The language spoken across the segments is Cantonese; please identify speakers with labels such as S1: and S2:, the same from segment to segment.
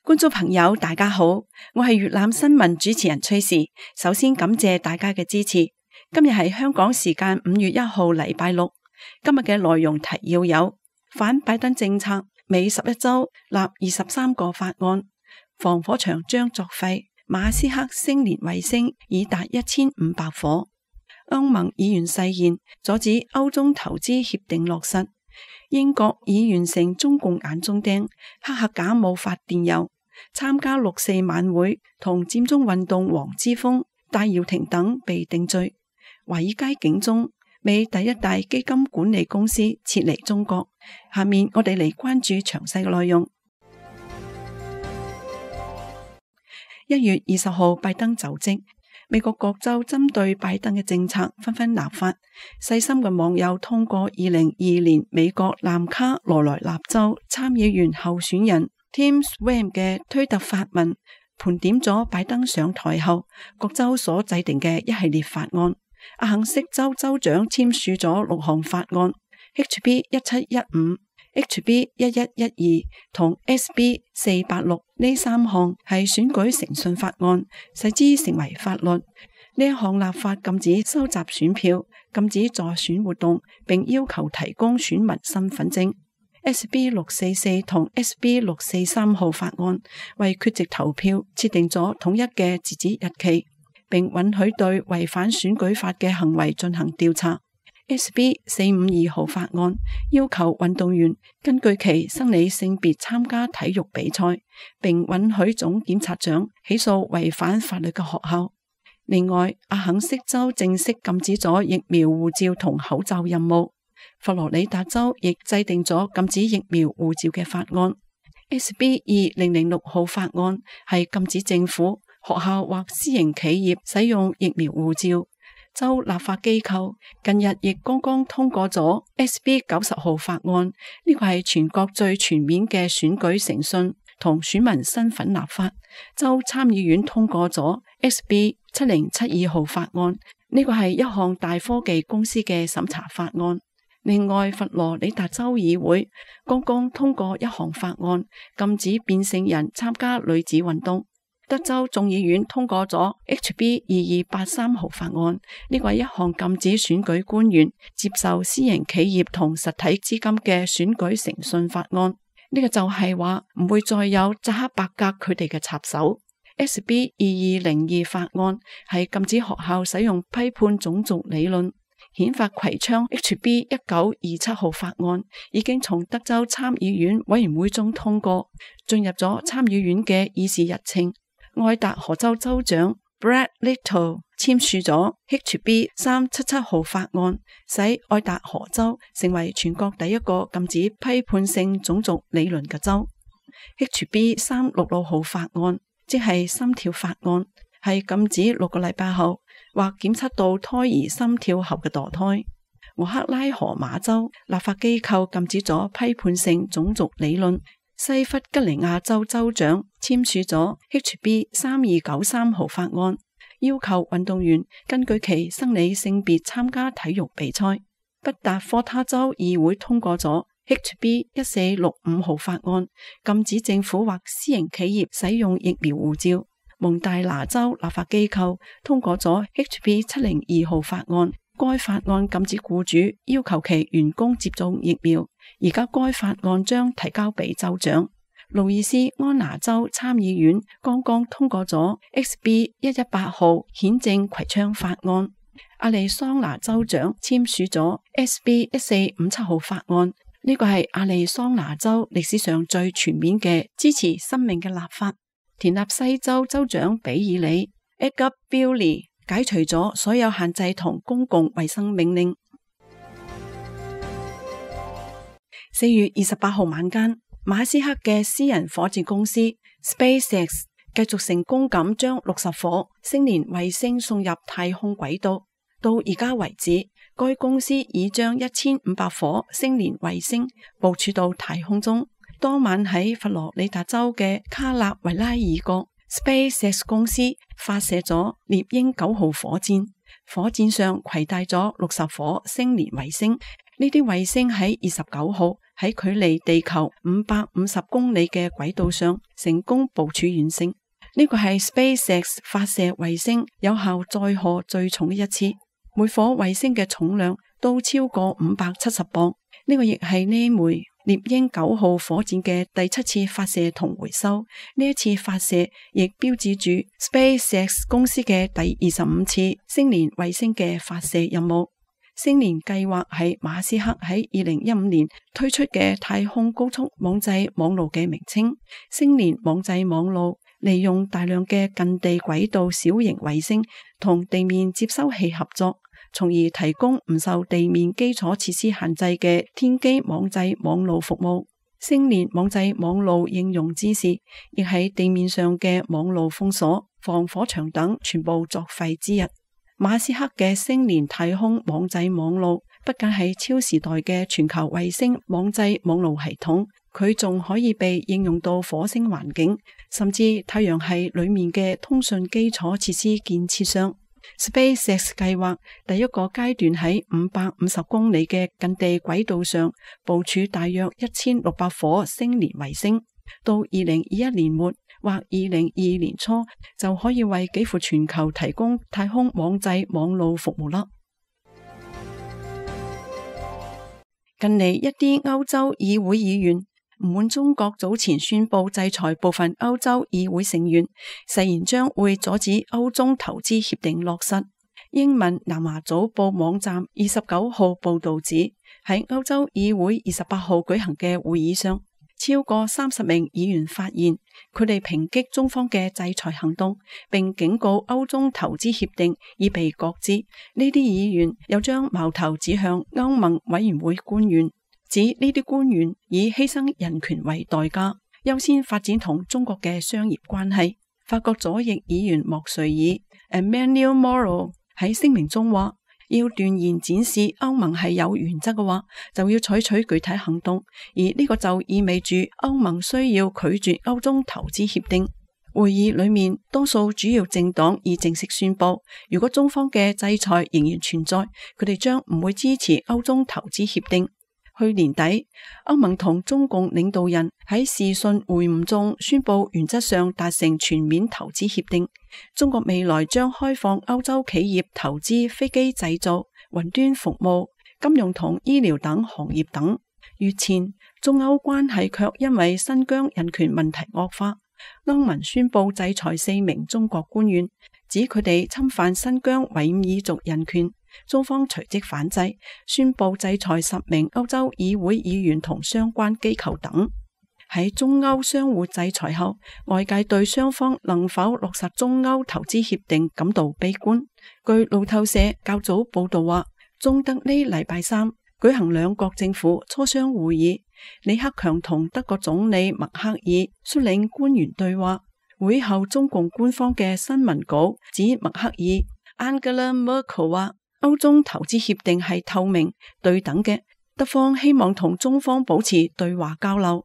S1: 觀眾朋友大家好，我係粵覽新聞主持人崔氏。首先感謝大家嘅支持。今日係香港時間5月1號禮拜六。今日嘅內容提要有：反拜登政策，美11州立23個法案；防火牆將作廢；馬斯克星鏈衛星已達1500顆；歐盟議員誓言阻止歐中投資協定落實；英國已完成中共眼中釘，黑客假冒發電郵；參加6·4晚會同佔中運動黃之鋒、戴耀廷等被定罪；華爾街警鐘，美第一大基金管理公司撤離中國。下面我哋嚟關注詳細嘅內容。1月20號，拜登就職，美國各州針對拜登嘅政策紛紛立法。細心嘅網友通過2022年美國南卡羅來納州參議員候選人 Tim Sweeney 嘅推特發文，盤點咗拜登上台後各州所制定嘅一系列法案。阿肯色州州長簽署咗6項法案 ，HB 1715、HB 1112同 SB 486呢3項係選舉誠信法案，使之成為法律。呢一項立法禁止收集選票，禁止助選活動，並要求提供選民身份證。SB 644同 SB 643號法案為缺席投票設定咗統一嘅截止日期，並允許對違反選舉法嘅行為進行調查。SB 452號法案要求運動員根據其生理性別參加體育比賽，並允許總檢察長起訴違反法律嘅學校。另外，阿肯色州正式禁止咗疫苗護照同口罩任務。佛羅里達州亦制定咗禁止疫苗護照嘅法案。SB 2006號法案係禁止政府、學校或私營企業使用疫苗護照。州立法機構近日亦剛剛通過咗 SB 90號法案，呢個係全國最全面嘅選舉誠信同選民身份立法。州參議院通過咗 SB 7072號法案，呢個係一項大科技公司嘅審查法案。另外，佛羅里達州議會剛剛通過一項法案，禁止變性人參加女子運動。德州眾議院通過咗 HB 2283號法案，呢個係一項禁止選舉官員接受私營企業同實體資金嘅選舉誠信法案。呢個就係話唔會再有扎克伯格佢哋嘅插手。SB 2202法案係禁止學校使用批判種族理論。憲法葵昌 HB 1927號法案已經從德州參議院委員會中通過，進入咗參議院嘅議事日程。愛達荷州州長 Brad Little 簽署咗 HB 377號法案，使愛達荷州成為全國第一個禁止批判性種族理論嘅州。HB 366號法案即係心跳法案，係禁止6個禮拜後或檢測到胎兒心跳後嘅墮胎。俄克拉荷馬州立法機構禁止咗批判性種族理論。西弗吉尼亞州州長簽署咗 HB 3293號法案，要求運動員根據其生理性別參加體育比賽。北達科他州議會通過咗 HB 1465號法案，禁止政府或私營企業使用疫苗護照。蒙大拿州立法機構通過咗 HB 702號法案，該法案禁止僱主要求其員工接種疫苗。而家該法案將提交俾州長。路易斯安那州參議院剛剛通過咗 SB 118號憲政葵昌法案。亞利桑那州長簽署咗 SB 1457號法案，呢個係亞利桑那州歷史上最全面嘅支持生命嘅立法。田納西州州長比爾里 Edgar Billy 解除咗所有限制同公共衛生命令。4月28號晚間，馬斯克嘅私人火箭公司 SpaceX 繼續成功咁將60顆星鏈衛星送入太空軌道。到而家為止，該公司已將1500顆星鏈衛星部署到太空中。當晚喺佛羅里達州嘅卡納維拉爾角 ，SpaceX 公司發射咗獵鷹9號火箭，火箭上攜帶咗60顆星鏈衛星。呢啲衛星喺29號喺距離地球550公里嘅軌道上成功部署完成。呢個係 SpaceX 發射衛星有效載荷最重嘅一次，每顆衛星嘅重量都超過570磅。呢個亦係呢枚獵鷹9號火箭嘅第7次發射同回收。呢一次發射亦標誌住 SpaceX 公司嘅第25次星鏈衛星嘅發射任務。星鏈計劃係馬斯克喺2015年推出嘅太空高速網際網路嘅名稱。星鏈網際網路利用大量嘅近地軌道小型衛星同地面接收器合作，從而提供唔受地面基礎設施限制嘅天基網際網路服務。星鏈網際網路應用之時，亦喺地面上嘅網路封鎖、防火牆等全部作廢之一。馬斯克嘅星鏈太空網際網路不僅係超時代嘅全球衛星網際網路系統，佢仲可以被應用到火星環境，甚至太陽系裏面嘅通訊基礎設施建設上。SpaceX 計劃第一個階段喺550公里嘅近地軌道上部署大約1600顆星鏈衛星，到2021年末或2022年初就可以為幾乎全球提供太空網際網路服務啦。近嚟一啲歐洲議會議員唔滿中國早前宣布制裁部分歐洲議會成員，誓言將會阻止歐中投資協定落實。英文南華早報網站29號報道指，喺歐洲議會28號舉行嘅會議上，超過30名議員發言，佢哋抨擊中方嘅制裁行動，並警告歐中投資協定已被擱置。呢啲議員又將矛頭指向歐盟委員會官員，指呢啲官員以犧牲人權為代價，優先發展同中國嘅商業關係。法國左翼議員莫瑞爾 Emmanuel Moreau 喺聲明中話，要斷言展示歐盟係有原則嘅話，就要採取具體行動，而呢個就意味住歐盟需要拒絕歐中投資協定。會議裏面，多數主要政黨已正式宣布，如果中方嘅制裁仍然存在，佢哋將唔會支持歐中投資協定。去年底，歐盟同中共領導人喺視訊會晤中宣布，原則上達成全面投資協定。中國未來將開放歐洲企業投資飛機製造、雲端服務、金融同醫療等行業等。月前，中歐關係卻因為新疆人權問題惡化，歐盟宣布制裁4名中國官員，指佢哋侵犯新疆維吾爾族人權。中方隨即反制，宣布制裁10名歐洲議會議員同相關機構等。喺中歐相互制裁後，外界對雙方能否落實中歐投資協定感到悲觀。據路透社較早報道話，中德呢禮拜三舉行兩國政府磋商會議，李克強同德國總理默克爾率領官員對話。會後中共官方嘅新聞稿指，默克爾 Angela Merkel 話，歐中投資協定係透明對等嘅，德方希望同中方保持對話交流。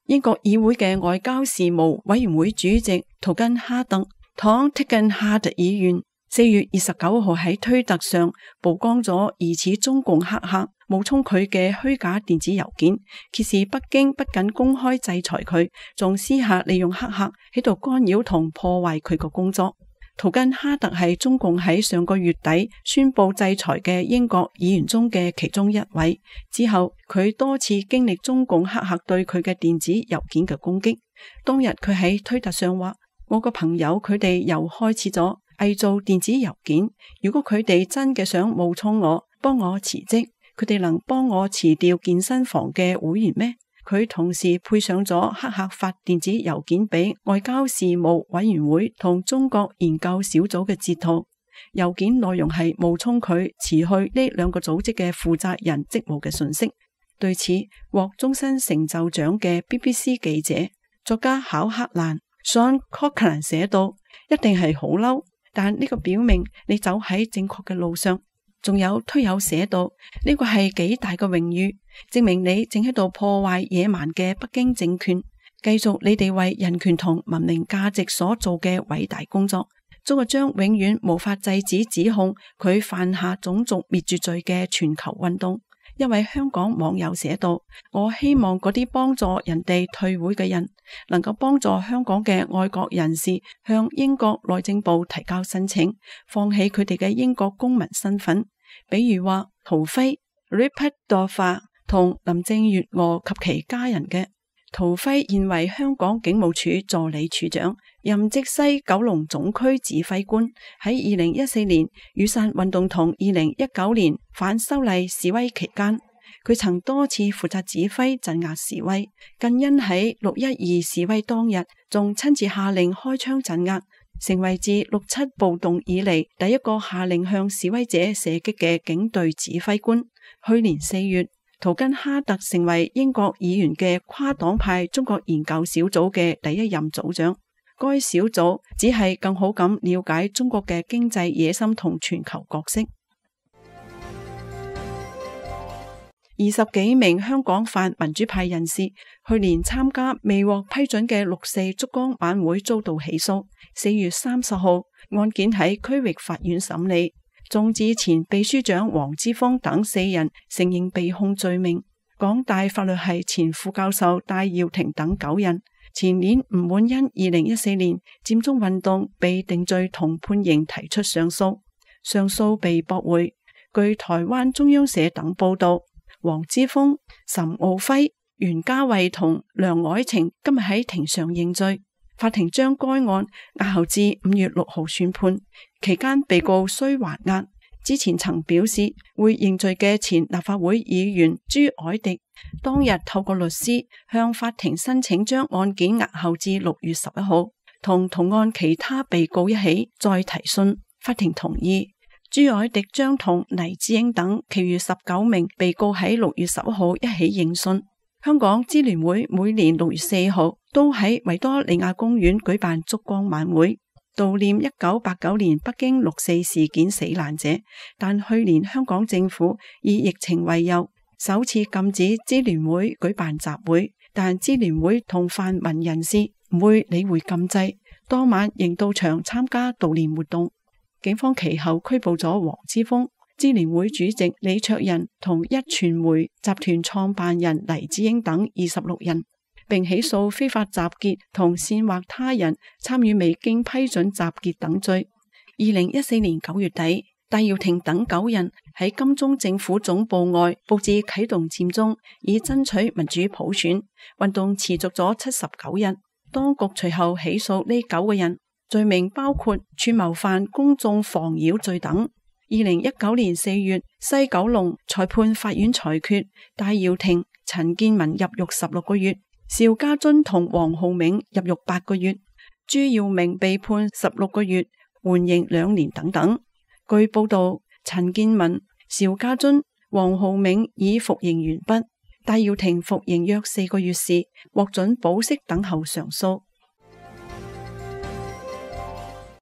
S1: 英國議會嘅外交事務委員會主席圖根哈特 Tom Tugendhat 議員4月29號喺推特上曝光咗疑似中共黑客冒充佢嘅虛假電子郵件，揭示北京不僅公開制裁佢，仲私下利用黑客喺度干擾同破壞佢個工作。圖根哈特係中共喺上個月底宣布制裁嘅英國議員中嘅其中一位。之後佢多次經歷中共黑客對佢嘅電子郵件嘅攻擊。當日佢喺推特上話，我個朋友佢哋又開始咗偽造電子郵件，如果佢哋真嘅想冒充我，幫我辭職，佢哋能幫我辭掉健身房嘅會員咩？佢同時配上咗黑客發電子郵件俾外交事務委員會同中國研究小組嘅截圖，郵件內容係冒充佢辭去呢兩個組織嘅負責人職務嘅信息。對此，獲終身成就獎嘅 BBC 記者、作家考克蘭 Sean Cochran 寫道，一定係好嬲，但呢個表明你走喺正確嘅路上。仲有推友寫到，呢個係幾大嘅榮譽，證明你正喺度破壞野蠻嘅北京政權，繼續你哋為人權同文明價值所做嘅偉大工作。中國將永遠無法制止指控佢犯下種族滅絕罪嘅全球運動。一位香港網友寫道：我希望嗰啲幫助人哋退會嘅人，能夠幫助香港嘅愛國人士向英國內政部提交申請，放棄佢哋嘅英國公民身份。比如話陶輝 Rupert Dorfer 同林鄭月娥及其家人嘅。陶輝現為香港警務處助理處長，任職西九龍總區指揮官。喺2014年雨傘運動同2019年反修例示威期間，佢曾多次負責指揮鎮壓示威，更因喺612示威當日仲親自下令開槍鎮壓，成為自6·7暴動以嚟第一個下令向示威者射擊嘅警隊指揮官。去年4月，圖根哈特成為英國議員嘅跨黨派中國研究小組嘅第一任組長。該小組只係更好咁了解中國嘅經濟野心同全球角色。20幾名香港泛民主派人士去年參加未獲批准嘅6·4燭光晚會遭到起訴。4月30號，案件喺區域法院審理。眾志前秘書長黃之鋒等4人承認被控罪名，港大法律系前副教授戴耀廷等9人前年唔滿因2014年佔中運動被定罪同判刑提出上訴，上訴被駁回。據台灣中央社等報道，黃之鋒、岑敖暉、袁嘉蔚同梁愛晴今日喺庭上認罪。法庭將該案押後至5月6號宣判，期間被告需還押。之前曾表示會認罪嘅前立法會議員朱凱廸，當日透過律師向法庭申請將案件押後至6月11號，同案其他被告一起再提訊。法庭同意，朱凱廸將同黎智英等其餘19名被告喺6月11號一起應訊。香港支聯會每年6月4號都喺維多利亞公園舉辦燭光晚會，悼念1989年北京6·4事件死難者。但去年香港政府以疫情為由，首次禁止支聯會舉辦集會，但支聯會同泛民人士唔會理會禁制，當晚仍到場參加悼念活動。警方其後拘捕咗黃之鋒、支聯會主席李卓人同壹傳媒集團創辦人黎智英等26人，並起訴非法集結同煽惑他人參與未經批准集結等罪。2014年9月底，戴耀廷等9人喺金鐘政府總部外佈置啟動佔中，以爭取民主普選。運動持續咗79日，當局隨後起訴呢9個人，罪名包括串謀犯公眾妨擾罪等。2019年4月，西九龍裁判法院裁決戴耀廷、陳健民入獄16個月，邵家臻同黃浩銘入獄8個月，朱耀明被判16個月，緩刑2年等等。據報道，陳健民、邵家臻、黃浩銘已服刑完畢，戴耀廷服刑約4個月時獲准保釋等候上訴。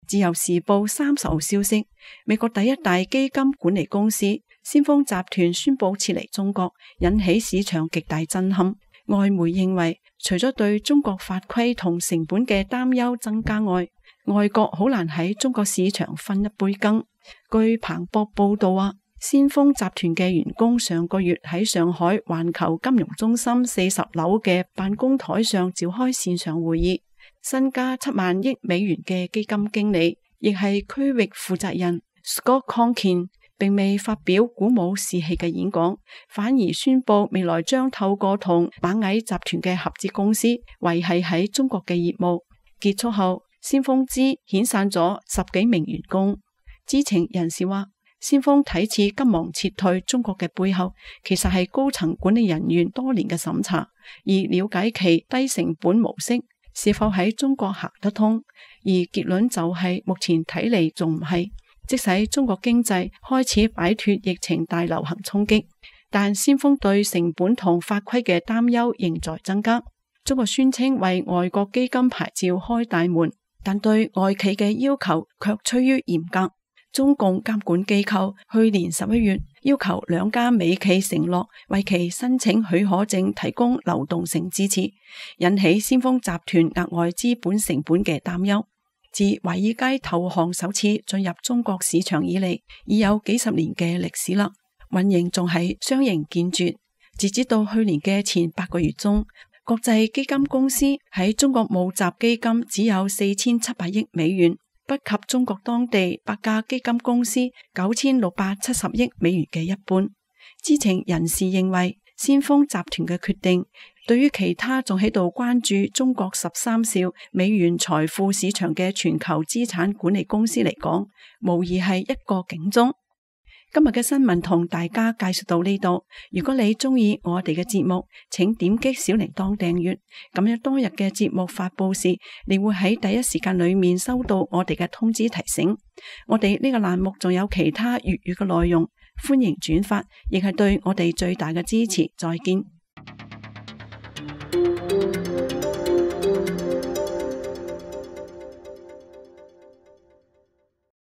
S1: 自由時報30號消息，美國第一大基金管理公司先鋒集團宣布撤離中國，引起市場極大震撼。外媒認為，除咗對中國法規同成本嘅擔憂增加外，外國好難喺中國市場分一杯羹。據彭博報道話，先鋒集團嘅員工上個月喺上海環球金融中心40樓嘅辦公台上召開線上會議。身家7萬億美元嘅基金經理，亦係區域負責人 Scott Conkin， 並未發表鼓舞士氣嘅演講，反而宣布未來將透過同螞蟻集團嘅合資公司維繫喺中國嘅業務。結束後，先鋒資遣散咗10幾名員工。知情人士話，先鋒睇似急忙撤退中國嘅背後，其實係高層管理人員多年嘅審查，而了解其低成本模式是否喺中國行得通，而結論就係目前睇嚟仲唔係。即使中國經濟開始擺脫疫情大流行衝擊，但先鋒對成本同法規嘅擔憂仍在增加。中國宣稱為外國基金牌照開大門，但對外企嘅要求卻趨於嚴格。中共監管機構去年11月要求2家美企承諾為其申請許可證提供流動性支持，引起先鋒集團額外資本成本嘅擔憂。自華爾街投行首次進入中國市場以嚟，已有幾十年嘅歷史啦。運營仲係相形見絀。截止到去年嘅前8個月中，國際基金公司喺中國募集基金只有4700億美元，不及中國當地8家基金公司9670億美元嘅一半。知情人士認為，先鋒集團嘅決定對於其他仲喺度關注中國13兆美元財富市場嘅全球資產管理公司嚟講，無疑係一個警鐘。今日嘅新聞同大家介紹到呢度。如果你中意我哋嘅節目，請點擊小鈴鐺訂閱，咁樣當日嘅節目發佈時，你會喺第一時間裏面收到我哋嘅通知提醒。我哋呢個欄目仲有其他粵語嘅內容，歡迎轉發，亦係對我哋最大嘅支持。再見。